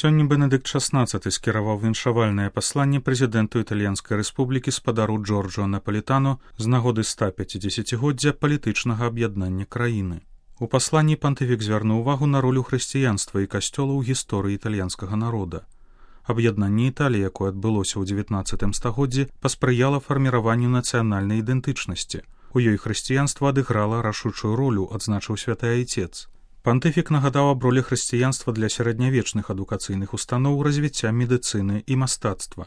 Сёння Бенедыкт XVI скіраваў віншавальнае пасланне прэзідэнту Італьянскай рэспублікі спадару Джорджо Напалітану з нагоды 150-годдзя палітычнага аб'яднання краіны. У пасланні пантыфік звярнуў увагу на ролю хрысціянства і касцёла ў гісторыі італьянскага народа. Аб'яднанне Італіі, якое адбылося ў 19 стагоддзі, паспрыяла фарміраванню нацыянальнай ідэнтычнасці. У ёй хрысціянства адыграла рашучую ролю, адзначыў святы айцец. Пантыфік нагадаў аб ролі хрысціянства для сярэднявечных адукацыйных устаноў, развіцця медыцыны і мастацтва.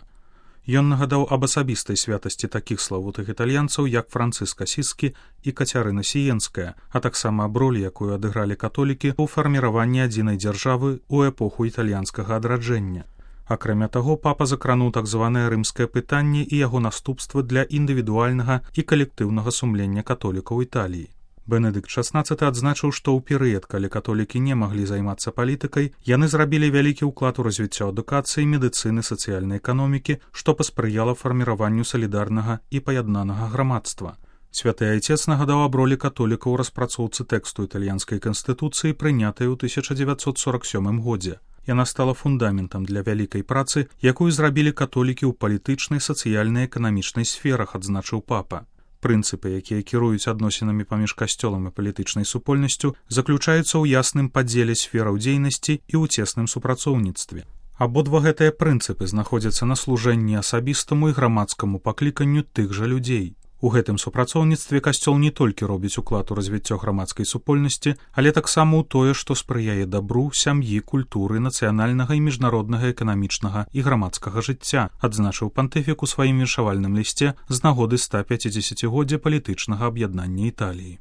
Ён нагадаў аб асабістай святасці такіх славутых італьянцаў, як Францыск Асіскі і Кацярына Сіенская, а таксама аб ролі, якую адыгралі католікі ў фарміраванні адзінай дзяржавы ў эпоху італьянскага адраджэння. Акрамя таго, папа закрануў так званае рымскае пытанне і яго наступствы для індывідуальнага і калектыўнага сумлення католікаў Італіі. Бенедыкт XVI адзначыў, што ў перыяд, калі католікі не маглі займацца палітыкай, яны зрабілі вялікі ўклад у развіццё адукацыі, медыцыны, сацыяльнай эканомікі, што паспрыяла фарміраванню салідарнага і паяднанага грамадства. Святы айцец нагадаў аб ролі католікаў у распрацоўцы тэксту італьянскай канстытуцыі, прынятай у 1947 годзе. Яна стала фундаментам для вялікай працы, якую зрабілі католікі ў палітычнай, сацыяльнай, эканамічнай сферах, адзначыў папа. Прынцыпы, якія кіруюць адносінамі паміж касцёлам і палітычнай супольнасцю, заключаюцца ў ясным падзеле сфераў дзейнасці і ў цесным супрацоўніцтве. Абодва гэтыя прынцыпы знаходзяцца на служэнні асабістаму і грамадскаму пакліканню тых жа людзей. У гэтым супрацоўніцтве касцёл не толькі робіць уклад у развіццё грамадскай супольнасці, але таксама ў тое, што спрыяе дабру, сям'і, культуры, нацыянальнага і міжнароднага эканамічнага і грамадскага жыцця, адзначыў пантыфік у сваім віншавальным лісце з нагоды 150-годдзя палітычнага аб'яднання Італіі.